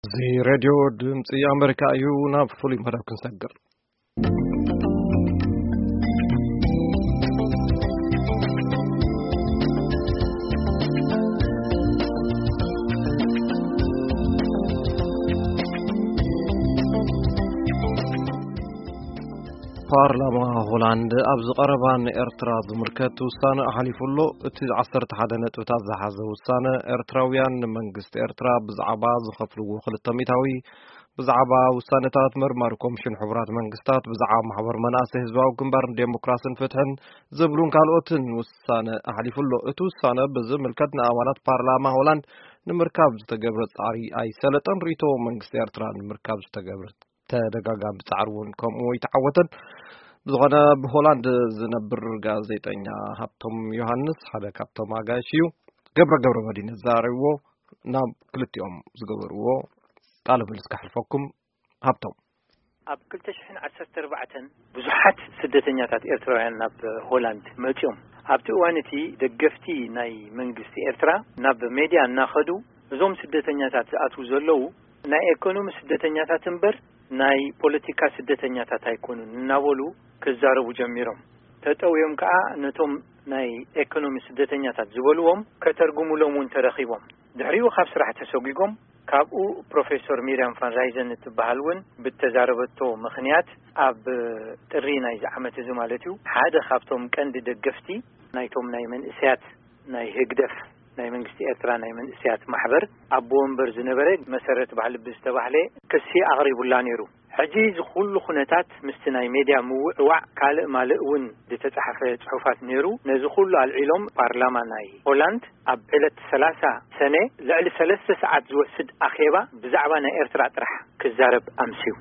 እዚ ሬድዮ ድምፂ ኣሜሪካ እዩ። ናብ ፍሉይ መደብ ክንሰግር። ፓርላማ ሆላንድ ኣብዚ ቀረባ ንኤርትራ ዝምልከት ውሳነ ኣሕሊፉ ኣሎ። እቲ ዓሰርተ ሓደ ነጥብታት ዝሓዘ ውሳነ፣ ኤርትራውያን ንመንግስቲ ኤርትራ ብዛዕባ ዝኸፍልዎ ክልተ ሚእታዊ፣ ብዛዕባ ውሳነታት መርማሪ ኮሚሽን ሕቡራት መንግስታት፣ ብዛዕባ ማሕበር መናእሰይ ህዝባዊ ግንባር ንዴሞክራስን ፍትሕን ዝብሉን ካልኦትን ውሳነ ኣሕሊፉ ኣሎ። እቲ ውሳነ ብዝምልከት ንኣባላት ፓርላማ ሆላንድ ንምርካብ ዝተገብረ ጻዕሪ ኣይሰለጠን። ርእይቶ መንግስቲ ኤርትራ ንምርካብ ዝተገብረ ተደጋጋሚ ጻዕሪ እውን ከምኡ ኣይተዓወተን። ብዝኾነ፣ ብሆላንድ ዝነብር ጋዜጠኛ ሃብቶም ዮሃንስ ሓደ ካብቶም ኣጋይሽ እዩ። ገብረ ገብረ መድህን ዘራረብዎ፣ ናብ ክልቲኦም ዝገበርዎ ቃለ ምልልስ ከሕልፈኩም። ሃብቶም። ኣብ ክልተ ሽሕን ዓሰርተ ኣርባዕተን ብዙሓት ስደተኛታት ኤርትራውያን ናብ ሆላንድ መጺኦም። ኣብቲ እዋን እቲ ደገፍቲ ናይ መንግስቲ ኤርትራ ናብ ሜድያ እናኸዱ፣ እዞም ስደተኛታት ዝኣትዉ ዘለዉ ናይ ኤኮኖሚ ስደተኛታት እምበር ናይ ፖለቲካ ስደተኛታት ኣይኮኑን እናበሉ ክዛረቡ ጀሚሮም። ተጠውዮም ከኣ ነቶም ናይ ኤኮኖሚ ስደተኛታት ዝበልዎም ከተርጉሙሎም እውን ተረኺቦም። ድሕሪኡ ካብ ስራሕ ተሰጒጎም። ካብኡ ፕሮፌሶር ሚርያም ፋንራይዘን እትበሃል እውን ብተዛረበቶ ምኽንያት ኣብ ጥሪ ናይዚ ዓመት እዚ ማለት እዩ፣ ሓደ ካብቶም ቀንዲ ደገፍቲ ናይቶም ናይ መንእሰያት ናይ ህግደፍ ናይ መንግስቲ ኤርትራ ናይ መንእሰያት ማሕበር ኣቦ ወንበር ዝነበረ መሰረት ባህልቢ ዝተባህለ ክሲ ኣቕሪቡላ ነይሩ። ሕጂ እዚ ኩሉ ኩነታት ምስቲ ናይ ሜድያ ምውዕዋዕ ካልእ ማልእ እውን ዝተጻሕፈ ጽሑፋት ነይሩ። ነዚ ኩሉ ኣልዒሎም ፓርላማ ናይ ሆላንድ ኣብ ዕለት ሰላሳ ሰነ ልዕሊ ሰለስተ ሰዓት ዝወስድ ኣኼባ ብዛዕባ ናይ ኤርትራ ጥራሕ ክዛረብ ኣምስዩ።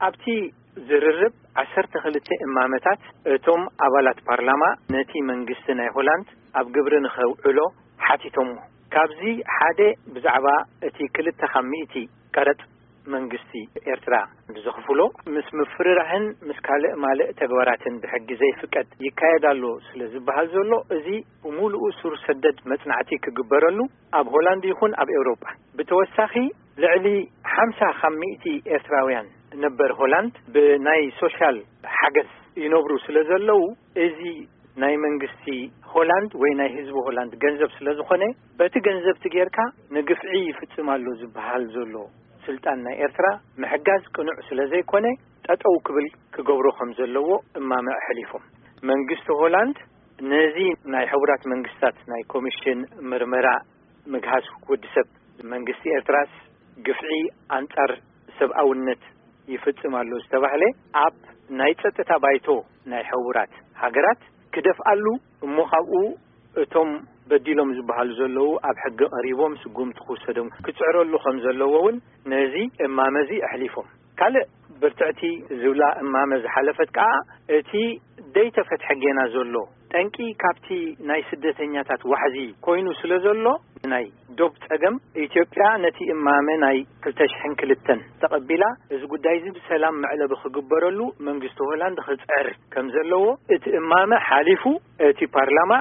ኣብቲ ዝርርብ ዓሰርተ ክልተ እማመታት እቶም ኣባላት ፓርላማ ነቲ መንግስቲ ናይ ሆላንድ ኣብ ግብሪ ንኸውዕሎ ሓቲቶሞ። ካብዚ ሓደ ብዛዕባ እቲ ክልተ ካብ ሚእቲ ቀረጽ መንግስቲ ኤርትራ ዘኽፍሎ ምስ ምፍርራህን ምስ ካልእ ማልእ ተግባራትን ብሕጊ ዘይፍቀድ ይካየድ ኣሎ ስለ ዝበሃል ዘሎ፣ እዚ ብምሉኡ ሱር ሰደድ መጽናዕቲ ክግበረሉ ኣብ ሆላንድ ይኹን ኣብ ኤውሮጳ። ብተወሳኺ ልዕሊ ሓምሳ ካብ ሚእቲ ኤርትራውያን ነበር ሆላንድ ብናይ ሶሻል ሓገዝ ይነብሩ ስለ ዘለዉ፣ እዚ ናይ መንግስቲ ሆላንድ ወይ ናይ ህዝቢ ሆላንድ ገንዘብ ስለ ዝኾነ፣ በቲ ገንዘብ እቲ ጌርካ ንግፍዒ ይፍጽም ኣሎ ዝበሃል ዘሎ ስልጣን ናይ ኤርትራ ምሕጋዝ ቅኑዕ ስለ ዘይኮነ፣ ጠጠው ክብል ክገብሮ ከም ዘለዎ እማመ ኣሕሊፎም። መንግስቲ ሆላንድ ነዚ ናይ ሕቡራት መንግስታት ናይ ኮሚሽን ምርመራ ምግሃስ ወዲ ሰብ፣ መንግስቲ ኤርትራስ ግፍዒ ኣንጻር ሰብኣውነት ይፍጽም ኣሎ ዝተባህለ ኣብ ናይ ጸጥታ ባይቶ ናይ ሕቡራት ሃገራት ክደፍኣሉ፣ እሞ ካብኡ እቶም በዲሎም ዝበሃሉ ዘለዉ ኣብ ሕጊ ቀሪቦም ስጉምቲ ክውሰዶም ክጽዕረሉ ከም ዘለዎ እውን ነዚ እማመ እዚ ኣሕሊፎም። ካልእ ብርትዕቲ ዝብላ እማመ ዝሓለፈት ከኣ፣ እቲ ደይተፈትሐ ጌና ዘሎ ጠንቂ ካብቲ ናይ ስደተኛታት ዋሕዚ ኮይኑ ስለ ዘሎ፣ ናይ ዶብ ጸገም፣ ኢትዮጵያ ነቲ እማመ ናይ ክልተ ሽሕን ክልተን ተቐቢላ፣ እዚ ጉዳይ እዚ ብሰላም መዕለቢ ክግበረሉ መንግስቲ ሆላንድ ክጽዕር ከም ዘለዎ፣ እቲ እማመ ሓሊፉ፣ እቲ ፓርላማ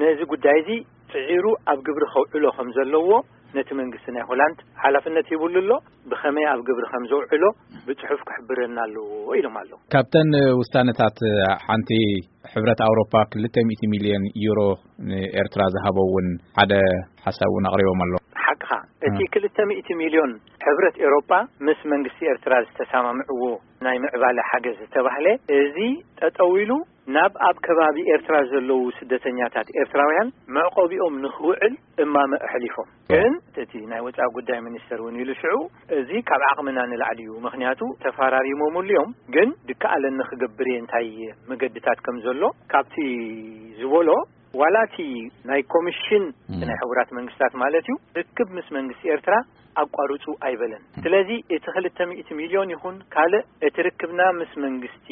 ነዚ ጉዳይ እዚ ጽዒሩ ኣብ ግብሪ ከውዕሎ ከም ዘለዎ ነቲ መንግስቲ ናይ ሆላንድ ሓላፍነት ሂቡሉ ኣሎ። ብኸመይ ኣብ ግብሪ ከም ዘውዕሎ ብጽሑፍ ክሕብረና ኣለዎ ኢሎም ኣለዉ። ካብተን ውሳነታት ሓንቲ፣ ሕብረት ኣውሮፓ ክልተ ሚእቲ ሚልዮን ዩሮ ንኤርትራ ዝሃቦ እውን ሓደ ሓሳብ እውን ኣቕሪቦም ኣሎ። ሓቅኻ፣ እቲ እ። ክልተ ሚእቲ ሚልዮን ሕብረት ኤውሮጳ ምስ መንግስቲ ኤርትራ ዝተሰማምዕዎ ናይ ምዕባለ ሓገዝ ዝተባህለ፣ እዚ ጠጠው ኢሉ ናብ ኣብ ከባቢ ኤርትራ ዘለዉ ስደተኛታት ኤርትራውያን መዕቆቢኦም ንኽውዕል እማመ ኣሕሊፎም። ግን እቲ ናይ ወጻኢ ጉዳይ ሚኒስተር እውን ኢሉ ሽዑ፣ እዚ ካብ ዓቕምና ንላዕሊ እዩ፣ ምኽንያቱ ተፈራሪሞምሉ እዮም፣ ግን ድከኣለኒ ክገብር እየ፣ እንታይ መገድታት ከም ዘሎ ካብቲ ዝበሎ፣ ዋላ እቲ ናይ ኮሚሽን እቲ ናይ ሕቡራት መንግስታት ማለት እዩ፣ ርክብ ምስ መንግስቲ ኤርትራ ኣቋርጹ ኣይበለን። ስለዚ እቲ ክልተ ሚእቲ ሚልዮን ይኹን ካልእ፣ እቲ ርክብና ምስ መንግስቲ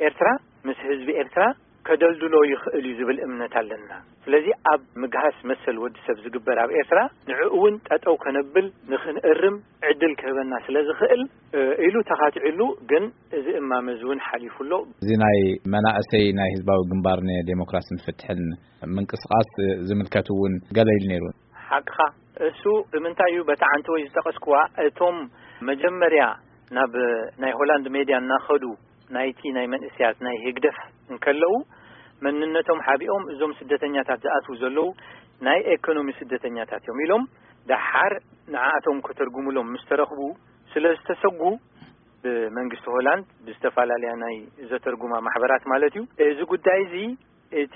ኤርትራ፣ ምስ ህዝቢ ኤርትራ ከደልድሎ ይኽእል እዩ ዝብል እምነት ኣለና። ስለዚ ኣብ ምግሃስ መሰል ወዲ ሰብ ዝግበር ኣብ ኤርትራ፣ ንዕኡ እውን ጠጠው ከነብል ንኽንእርም ዕድል ክህበና ስለ ዝኽእል፣ እ፣ ኢሉ ተኻቲዕሉ፣ ግን እዚ እማመ እዚ እውን ሓሊፉ ኣሎ። እዚ ናይ መናእሰይ ናይ ህዝባዊ ግንባር ንዴሞክራስን ፍትሕን ምንቅስቃስ ዝምልከት እውን ገለ ኢሉ ነይሩ። ሓቅኻ፣ እሱ ብምንታይ እዩ በታ ዓንተወይ ዝጠቐስኩዋ፣ እቶም መጀመርያ ናብ ናይ ሆላንድ ሜድያ እናኸዱ ናይቲ ናይ መንእስያት ናይ ህግደፍ እንከለዉ፣ መንነቶም ሓቢኦም እዞም ስደተኛታት ዝኣትዉ ዘለዉ ናይ ኤኮኖሚ ስደተኛታት እዮም ኢሎም፣ ደሓር ንዓኣቶም ከተርጉሙሎም ምስ ተረኽቡ ስለ ዝተሰጉ፣ ብመንግስቲ ሆላንድ ብዝተፈላለያ ናይ ዘተርጉማ ማሕበራት ማለት እዩ፣ እዚ ጉዳይ እዚ እቲ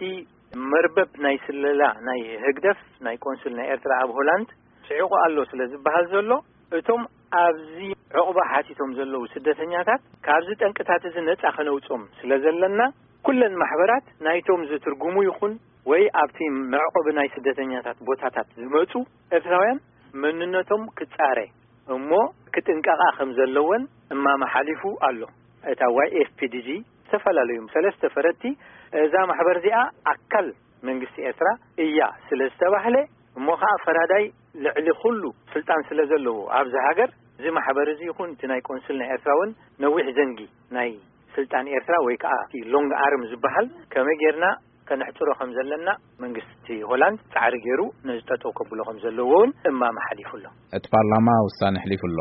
መርበብ ናይ ስለላ ናይ ህግደፍ ናይ ቆንስል ናይ ኤርትራ ኣብ ሆላንድ ስዒቑ ኣሎ ስለ ዝበሃል ዘሎ፣ እቶም ኣብዚ ዕቑባ ሓቲቶም ዘለዉ ስደተኛታት ካብዚ ጠንቅታት እዚ ነጻ ከነውጾም ስለ ዘለና፣ ኩለን ማሕበራት ናይቶም ዝትርጉሙ ይኹን ወይ ኣብቲ መዕቆቢ ናይ ስደተኛታት ቦታታት ዝመጹ ኤርትራውያን መንነቶም ክጻረ እሞ ክጥንቀቓ ከም ዘለወን እማመ ሓሊፉ ኣሎ። እታ ዋይ ኤፍ ፒ ዲ ጂ ዝተፈላለዩ ሰለስተ ፈረድቲ እዛ ማሕበር እዚኣ ኣካል መንግስቲ ኤርትራ እያ ስለ ዝተባህለ፣ እሞ ኸዓ ፈራዳይ ልዕሊ ኩሉ ስልጣን ስለ ዘለዎ ኣብዚ ሃገር፣ እዚ ማሕበር እዚ ይኹን እቲ ናይ ቆንስል ናይ ኤርትራ እውን ነዊሕ ዘንጊ ናይ ስልጣን ኤርትራ ወይ ከዓ እቲ ሎንግ ኣርም ዝበሃል ከመይ ጌርና ከነሕጽሮ ከም ዘለና መንግስቲ ሆላንድ ጻዕሪ ገይሩ ነዚ ጠጠው ከብሎ ከም ዘለዎ እውን እማመ ሓሊፉ ኣሎ። እቲ ፓርላማ ውሳነ ኣሕሊፉ ኣሎ።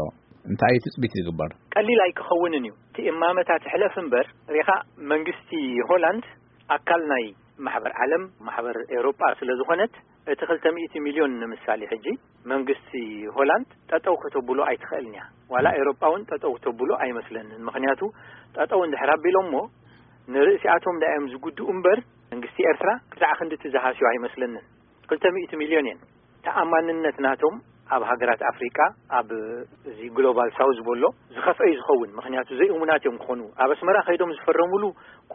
እንታይ እዩ ትጽቢት ዝግበር? ቀሊል ኣይክኸውንን እዩ። እቲ እማመታት ሕለፍ እምበር፣ ሪኻ መንግስቲ ሆላንድ ኣካል ናይ ማሕበር ዓለም፣ ማሕበር ኤውሮጳ ስለ ዝኾነት፣ እቲ ክልተ ሚእቲ ሚልዮን ንምሳሌ ሕጂ መንግስቲ ሆላንድ ጠጠው ከተብሎ ኣይትኽእልን እያ። ዋላ ኤውሮጳ እውን ጠጠው ከተብሎ ኣይመስለንን። ምኽንያቱ ጠጠው እንድሕር ኣቢሎሞ ንርእሲኣቶም ዳዮም ዝጉድኡ እምበር መንግስቲ ኤርትራ ክሳዕ ክንድቲ ዝሃስዮ ኣይመስለንን። ክልተ ሚእቲ ሚልዮን እየን። ተኣማንነት ናቶም ኣብ ሃገራት ኣፍሪቃ፣ ኣብ እዚ ግሎባል ሳውዝ ዝበሎ ዝኸፍአ እዩ ዝኸውን። ምኽንያቱ ዘይእሙናት እዮም ክኾኑ። ኣብ ኣስመራ ከይዶም ዝፈረሙሉ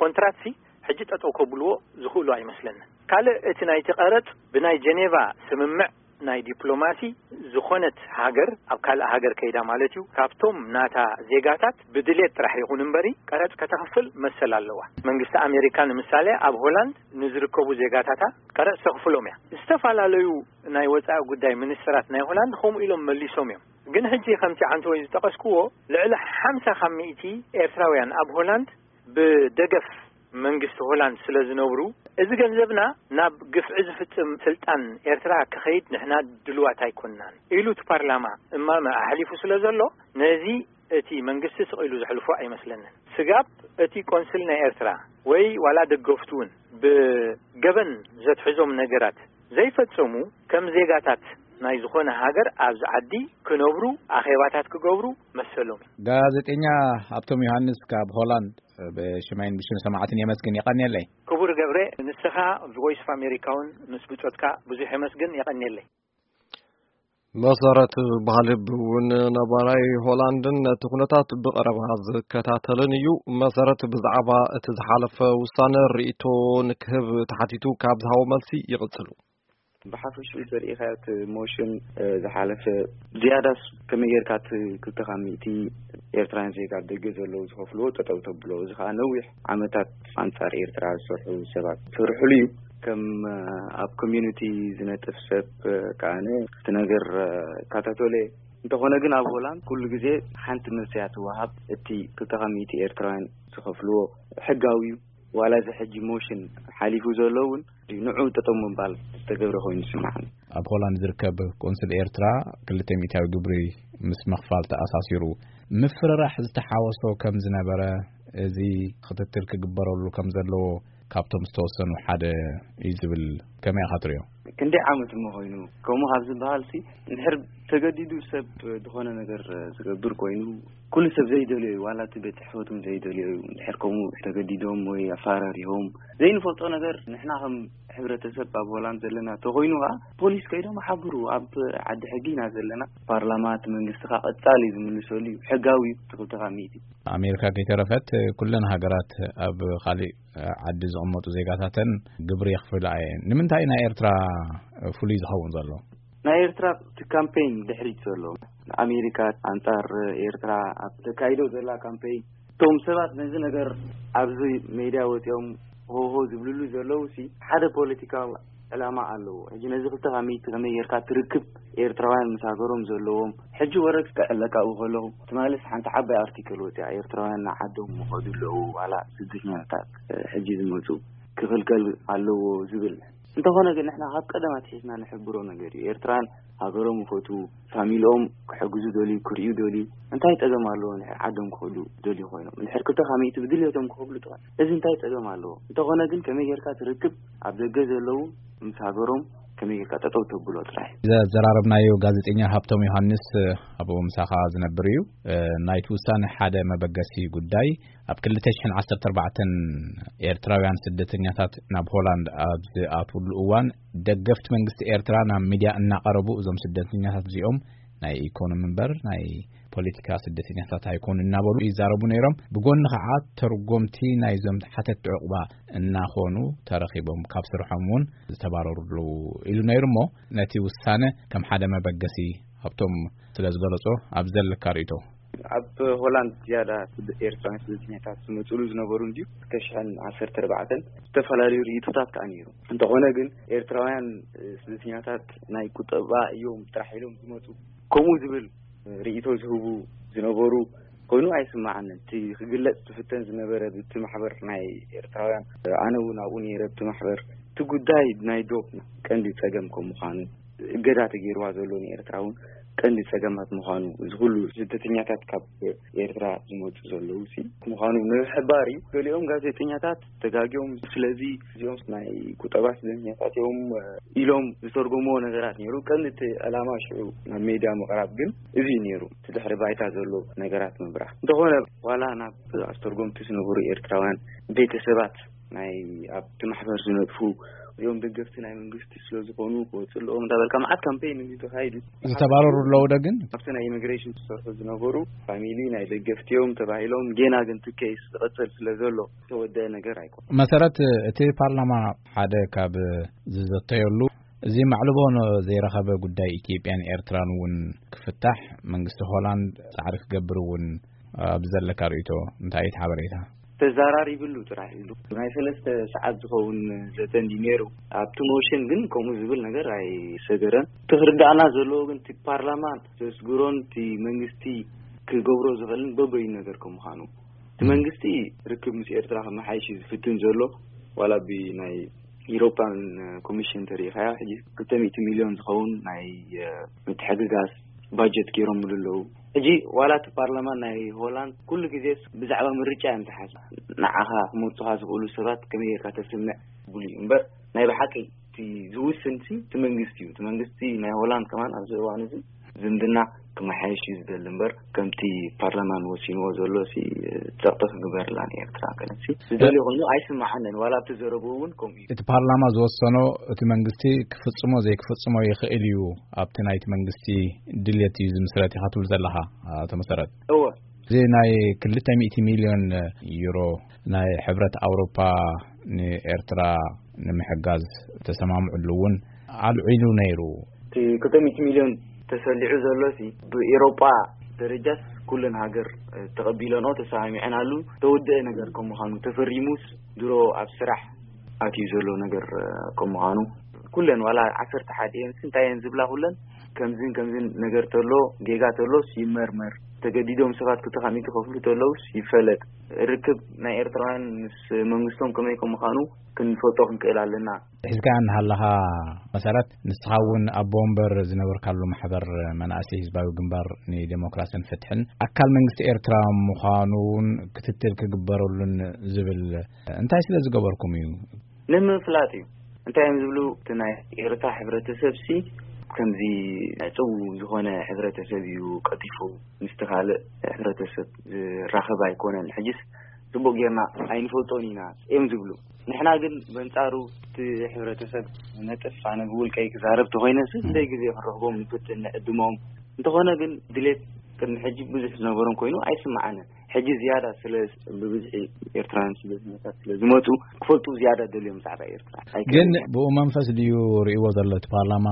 ኮንትራትሲ ሕጂ ጠጠው ከብልዎ ዝኽእሉ ኣይመስለንን። ካልእ እቲ ናይቲ ቀረጽ ብናይ ጀኔቫ ስምምዕ ናይ ዲፕሎማሲ ዝኾነት ሃገር ኣብ ካልእ ሃገር ከይዳ ማለት እዩ፣ ካብቶም ናታ ዜጋታት ብድሌት ጥራሕ ይኹን እምበሪ ቀረጽ ከተኽፍል መሰል ኣለዋ። መንግስቲ ኣሜሪካ ንምሳሌ ኣብ ሆላንድ ንዝርከቡ ዜጋታታ ቀረጽ ተኽፍሎም እያ። ዝተፈላለዩ ናይ ወጻኢ ጉዳይ ሚኒስትራት ናይ ሆላንድ ከምኡ ኢሎም መሊሶም እዮም። ግን ሕጂ ከምቲ ዓንተወይ ዝጠቐስክዎ ልዕሊ ሓምሳ ካብ ሚእቲ ኤርትራውያን ኣብ ሆላንድ ብደገፍ መንግስቲ ሆላንድ ስለ ዝነብሩ፣ እዚ ገንዘብና ናብ ግፍዒ ዝፍጽም ስልጣን ኤርትራ ክኸይድ ንሕና ድልዋት ኣይኮንናን ኢሉ እቲ ፓርላማ እማመ ኣሕሊፉ ስለ ዘሎ፣ ነዚ እቲ መንግስቲ ስቕ ኢሉ ዘሕልፎ ኣይመስለንን። ስጋብ እቲ ቆንስል ናይ ኤርትራ ወይ ዋላ ደገፍቱ እውን ብገበን ዘትሕዞም ነገራት ዘይፈጸሙ፣ ከም ዜጋታት ናይ ዝኾነ ሃገር ኣብዚ ዓዲ ክነብሩ፣ ኣኼባታት ክገብሩ መሰሎም እዩ። ጋዜጠኛ ሃብቶም ዮሃንስ ካብ ሆላንድ ብሽመይን ብሽም ሰማዕትን የመስግን። የቐንየለይ። ክቡር ገብረ፣ ንስኻ ቮይስ ኦፍ ኣሜሪካ እውን ምስ ብጾትካ ብዙሕ የመስግን። የቐንየለይ። መሰረት ባህልብ እውን ነባራይ ሆላንድን ነቲ ኩነታት ብቐረባ ዝከታተልን እዩ። መሰረት ብዛዕባ እቲ ዝሓለፈ ውሳነ ርእይቶ ንክህብ ተሓቲቱ ካብ ዝሃቦ መልሲ ይቕጽሉ። ብሓፈሽኡ ተሪኢኻዮ እቲ ሞሽን፣ እ፣ ዝሓለፈ ዝያዳስ ከመይ ጌርካ እቲ ክልተ ካብ ሚእቲ ኤርትራውያን ዜጋ ኣብ ደገ ዘለዉ ዝኸፍልዎ ጠጠው ተብሎ? እዚ ከኣ ነዊሕ ዓመታት ኣንጻር ኤርትራ ዝሰርሑ ሰባት ዝሰርሕሉ እዩ። ከም፣ እ፣ ኣብ ኮሚዩኒቲ ዝነጥፍ ሰብ፣ እ፣ ከኣነ እቲ ነገር፣ እ፣ እከታተሎ እየ። እንተኾነ ግን ኣብ ሆላንድ ኩሉ ግዜ ሓንቲ መልሲ እያ ትወሃብ። እቲ ክልተ ካብ ሚእቲ ኤርትራውያን ዝኸፍልዎ ሕጋዊ እዩ። ዋላ እዚ ሕጂ ሞሽን ሓሊፉ ዘሎ እውን ንዑ ጠጠው ምባል ዝተገብረ ኮይኑ ይስምዓኒ። ኣብ ሆላንድ ዝርከብ ቆንስል ኤርትራ ክልተ ሚእታዊ ግብሪ ምስ ምኽፋል ተኣሳሲሩ ምፍርራሕ ዝተሓወሶ ከም ዝነበረ፣ እዚ ክትትል ክግበረሉ ከም ዘለዎ ካብቶም ዝተወሰኑ ሓደ እዩ ዝብል፣ ከመይ ኢኻ ትሪኦ? ክንደይ ዓመት እሞ ኮይኑ? ከምኡ ካብ ዝበሃል ሲ፣ እንድሕር ተገዲዱ ሰብ ዝኾነ ነገር ዝገብር ኮይኑ፣ ኩሉ ሰብ ዘይደልዮ እዩ፣ ዋላ እቲ ቤት ጽሕፈት እውን ዘይደልዮ እዩ። እንድሕር ከምኡ ተገዲዶም ወይ ኣፈራሪሆም ዘይንፈልጦ ነገር፣ ንሕና ከም ሕብረተሰብ ኣብ ሆላንድ ዘለና ተኾይኑ ኸዓ፣ ፖሊስ ከይዶም ሓብሩ። ኣብ ዓዲ ሕጊ ኢና ዘለና። ፓርላማ፣ እቲ መንግስቲ ኸዓ ቀጻሊ ዝምልሰሉ እዩ። ሕጋዊ እዩ፣ እቲ ክልተ ካብ ሚእቲ። ኣሜሪካ ከይተረፈት፣ ኩለን ሃገራት ኣብ ካሊእ ዓዲ ዝቕመጡ ዜጋታተን ግብሪ የኽፍላ እየን። ንምንታይ ናይ ኤርትራ ፍሉይ ዝኸውን ዘሎ? ናይ ኤርትራ እቲ ካምፔይን ድሕሪት ዘሎ፣ ኣሜሪካ ኣንጻር ኤርትራ ኣብ ተካይዶ ዘላ ካምፔይን፣ እቶም ሰባት ነዚ ነገር ኣብዚ ሜድያ ወጺኦም ሆሆ ዝብልሉ ዘለዉ ሲ፣ ሓደ ፖለቲካዊ ዕላማ ኣለዎ። ሕጂ ነዚ ክልተ ካብ ሚእቲ ከመይ ጌርካ ትርክብ? ኤርትራውያን ምስ ሃገሮም ዘለዎም፣ ሕጂ ወረግ ክዕለቃ ከለኹ፣ ትማልስ ሓንቲ ዓባይ ኣርቲክል ወጺኣ፣ ኤርትራውያን ንዓዶም ይኸዱ ኣለዉ፣ ዋላ ስደተኛታት ሕጂ ዝመጹ ክኽልከል ኣለዎ ዝብል። እንተኾነ ግን ንሕና ካብ ቀደም ኣትሒዝና ንሕብሮ ነገር እዩ። ኤርትራን ሃገሮም ይፈትዉ፣ ፋሚሊኦም ክሕግዙ ደልዩ፣ ክርእዩ ደልዩ፣ እንታይ ጸገም ኣለዎ ንድሕር ዓዶም ክኸዱ ደልዩ ኮይኖም? እንድሕር ክልተ ካብ ሚእቲ ብድልየቶም ክኸፍሉ ጥራይ፣ እዚ እንታይ ጸገም ኣለዎ? እንተኾነ ግን ከመይ ጌርካ ትርክብ ኣብ ደገ ዘለዉ ምስ ሃገሮም ከመይ ጌርካ ጠጠው ተብሎ ጥራይ። ዘዘራረብናዮ ጋዜጠኛ ሃብቶም ዮሃንስ፣ ኣብኡ ምሳኻ ዝነብር እዩ። ናይቲ ውሳነ ሓደ መበገሲ ጉዳይ፣ ኣብ ክልተ ሽሕን ዓሰርተ ኣርባዕተን ኤርትራውያን ስደተኛታት ናብ ሆላንድ ኣብ ዝኣትውሉ እዋን፣ ደገፍቲ መንግስቲ ኤርትራ ናብ ሚድያ እናቐረቡ፣ እዞም ስደተኛታት እዚኦም ናይ ኢኮኖሚ እምበር ናይ ፖለቲካ ስደተኛታት ኣይኮኑ እናበሉ ይዛረቡ ነይሮም። ብጎኒ ከዓ ተርጎምቲ ናይዞም ሓተት ዕቑባ እናኾኑ ተረኺቦም፣ ካብ ስርሖም እውን ዝተባረሩ ኣለዉ ኢሉ ነይሩ። እሞ ነቲ ውሳነ ከም ሓደ መበገሲ ሃብቶም ስለ ዝገለጾ፣ ኣብ ዘለካ ርእይቶ? ኣብ ሆላንድ ዝያዳ ስደ-፣ ኤርትራውያን ስደተኛታት ዝመጽሉ ዝነበሩ እንድዩ። ክልተ ሽሕን ዓሰርተ ኣርባዕተን ዝተፈላለዩ ርእይቶታት ከኣ ነይሩ። እንተኾነ ግን ኤርትራውያን፣ እ፣ ስደተኛታት ናይ ቁጠባ እዮም ጥራሕ ኢሎም ዝመጹ፣ ከምኡ ዝብል ርእይቶ ዝህቡ ዝነበሩ ኮይኑ ኣይስማዓንን። እቲ ክግለጽ ዝፍተን ዝነበረ ብቲ ማሕበር ናይ ኤርትራውያን፣ ኣነ እውን ኣብኡ ነይረ፣ ብቲ ማሕበር እቲ ጉዳይ ናይ ዶብ ቀንዲ ጸገም ከም ምዃኑ፣ እገዳ ተገይርዋ ዘሎ ንኤርትራ እውን ቀንዲ ጸገማት ምዃኑ፣ እዚ ኩሉ ስደተኛታት ካብ ኤርትራ ዝመጹ ዘለዉ ሲ ምዃኑ ንምሕባር እዩ። ገሊኦም ጋዜጠኛታት ተጋግዮም፣ ስለዚ እዚኦም ናይ ቁጠባ ስደተኛታት እዮም ኢሎም ዝተርጎምዎ ነገራት ነይሩ። ቀንዲ እቲ ዕላማ ሽዑ ናብ ሜድያ ምቕራብ ግን እዚ እዩ ነይሩ፣ እቲ ድሕሪ ባይታ ዘሎ ነገራት ምብራህ። እንተኾነ ዋላ ናብ ኣስተርጎምቲ ዝነበሩ ኤርትራውያን ቤተሰባት ናይ ኣብቲ ማሕበር ዝነጥፉ እዚኦም ደገፍቲ ናይ መንግስቲ ስለ ዝኾኑ ክወፅእ ኣለዎም እንዳበልካ መዓት ካምፔይን እዩ ተኻይዱ። ዝተባረሩ ኣለዉ ዶ ግን? ኣብቲ ናይ ኢሚግሬሽን ዝሰርሑ ዝነበሩ ፋሚሊ ናይ ደገፍቲ እዮም ተባሂሎም፣ ጌና ግን እቲ ኬስ ዝቐፅል ስለ ዘሎ ዝተወደአ ነገር ኣይኮነን። መሰረት፣ እቲ ፓርላማ ሓደ ካብ ዝዘተየሉ፣ እዚ ማዕልቦ ዘይረኸበ ጉዳይ ኢትዮጵያን ኤርትራን እውን ክፍታሕ መንግስቲ ሆላንድ ጻዕሪ ክገብር እውን ኣብ ዘለካ ርእይቶ እንታይ እዩ እቲ ሓበሬታ? ተዛራሪብሉ ጥራሕ ኢሉ ናይ ሰለስተ ሰዓት ዝኸውን ዘተ እንዲ ነይሩ። ኣብቲ ሞሽን ግን ከምኡ ዝብል ነገር ኣይሰገረን። እቲ ክርዳእና ዘለዎ ግን እቲ ፓርላማ ዘስግሮን እቲ መንግስቲ ክገብሮ ዝኽእልን በበይኑ ነገር ከም ምዃኑ፣ እቲ መንግስቲ ርክብ ምስ ኤርትራ ከመሓይሽ እዩ ዝፍትን ዘሎ። ዋላ ብናይ ኢሮፓን ኮሚሽን ተሪኢኻዮ፣ ሕጂ ክልተ ሚእቲ ሚልዮን ዝኸውን ናይ፣ እ፣ ምትሕግጋዝ ባጀት ገይሮምሉ ኣለዉ። ሕጂ ዋላ እቲ ፓርላማ ናይ ሆላንድ ኩሉ ግዜስ ብዛዕባ ምርጫ እዮም ዝሓስቡ። ንዓኻ ክመርጹኻ ዝኽእሉ ሰባት ከመይ ጌርካ ተስምዕ ብሉ እዩ እምበር፣ ናይ ብሓቂ እቲ ዝውስን ሲ እቲ መንግስቲ እዩ። እቲ መንግስቲ ናይ ሆላንድ ከማን ኣብዚ እዋን እዚ ዝምድና ክመሓየሽ እዩ ዝደሊ እምበር፣ ከምቲ ፓርላማን ወሲንዎ ዘሎ ሲ ጸቕጢ ክግበርላ ንኤርትራ ገለሲ ዝደልዮ ኮይኑ ኣይስምዓንን። ዋላ ኣብቲ ዘረብኡ እውን ከምኡ እዩ። እቲ ፓርላማ ዝወሰኖ እቲ መንግስቲ ክፍጽሞ ዘይክፍጽሞ ይኽእል እዩ፣ ኣብቲ ናይቲ መንግስቲ ድልየት እዩ ዝምስረት ኢኻ ትብል ዘለኻ፣ ኣቶ መሰረት? እወ። እዚ ናይ ክልተ ሚእቲ ሚልዮን ዩሮ ናይ ሕብረት ኣውሮፓ ንኤርትራ ንምሕጋዝ ተሰማምዕሉ እውን ኣልዒሉ ነይሩ። እቲ ክልተ ሚእቲ ሚልዮን ተሰሊዑ ዘሎ ሲ ብኤሮጳ ደረጃስ ኩለን ሃገር፣ እ፣ ተቐቢለንኦ ተሰማሚዐናሉ ተወደአ ነገር ከም ምዃኑ፣ ተፈሪሙስ ድሮ ኣብ ስራሕ ኣትዩ ዘሎ ነገር፣ እ፣ ከም ምዃኑ፣ ኩለን ዋላ ዓሰርተ ሓደ እየን ሲ እንታይ እየን ዝብላ ኩለን ከምዝን ከምዝን ነገር ተሎ፣ ጌጋ ተሎስ ይመርመር፣ ተገዲዶም ሰባት ክልተ ሚእቲ ከፍሉ ተለውስ ይፈለጥ። ርክብ ናይ ኤርትራውያን ምስ መንግስቶም ከመይ ከም ምዃኑ ክንፈልጦ ክንክእል ኣለና። ሒዝካ እናሃለኻ መሰረት፣ ንስኻ እውን ኣቦ ወንበር ዝነበርካሉ ማሕበር መናእሰይ ህዝባዊ ግንባር ንዴሞክራስን ፍትሕን ኣካል መንግስቲ ኤርትራ ምዃኑ እውን ክትትል ክግበረሉን ዝብል እንታይ ስለ ዝገበርኩም እዩ? ንምፍላጥ እዩ። እንታይ እዮም ዝብሉ? እቲ ናይ ኤርትራ ሕብረተሰብ ሲ ከምዚ ዕጽው ዝኾነ ሕብረተሰብ እዩ፣ ቀልጢፉ ምስቲ ካልእ ሕብረተሰብ ዝራኸብ ኣይኮነን። ሕጂስ ጽቡቕ ጌርና ኣይንፈልጦን ኢና እዮም ዝብሉ። ንሕና ግን በንጻሩ እቲ ሕብረተሰብ ነጥፍ፣ ኣነ ብውልቀይ ክዛረብ ተኾይነ ሲ ክንደይ ግዜ ክንረኽቦም ንፍትን ንዕድሞም። እንተኾነ ግን ድሌት ቅድሚ ሕጂ ብዙሕ ዝነበሮም ኮይኑ ኣይስምዓንን። ሕጂ ዝያዳ ስለ ብብዝሒ ኤርትራውያን ስደተኛታት ስለ ዝመጹ ክፈልጡ ዝያዳ ደልዮም ብዛዕባ ኤርትራ። ኣይክእልን ግን እየ። ብኡ መንፈስ ድዩ ርእይዎ ዘሎ እቲ ፓርላማ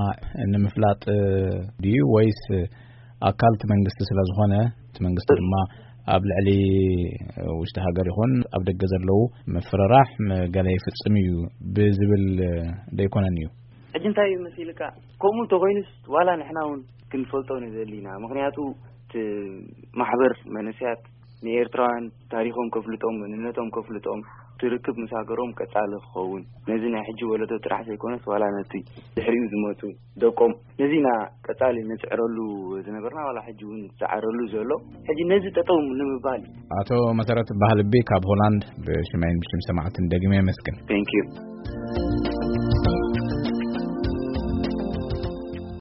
ንምፍላጥ ድዩ ወይስ ኣካል እቲ መንግስቲ ስለ ዝኾነ እቲ መንግስቲ ድማ ኣብ ልዕሊ ውሽጢ ሃገር ይኹን ኣብ ደገ ዘለዉ ምፍርራሕ ም-፣ ገለ ይፍጽም እዩ ብዝብል ደይኮነን እዩ? ሕጂ እንታይ እዩ መሲልካ? ከምኡ እንተኾይኑስ ዋላ ንሕና እውን ክንፈልጦ ንደሊ ኢና። ምኽንያቱ እቲ ማሕበር መንእሰያት ንኤርትራውያን ታሪኾም ከፍልጦም፣ መንነቶም ከፍልጦም፣ ትርክብ ምስ ሃገሮም ቀጻሊ ክኸውን፣ ነዚ ናይ ሕጂ ወለዶ ጥራሕ ዘይኮነስ ዋላ ነቲ ድሕሪኡ ዝመጹ ደቆም ነዚና ቀጻሊ ንጽዕረሉ ዝነበርና ዋላ ሕጂ እውን ዝጸዓረሉ ዘሎ ሕጂ ነዚ ጠጠው ንምባል እዩ። ኣቶ መሰረት ባህልቢ ካብ ሆላንድ ብሽመይን ብሽም ሰማዕትን ደግሜ የመስግን። Thank you።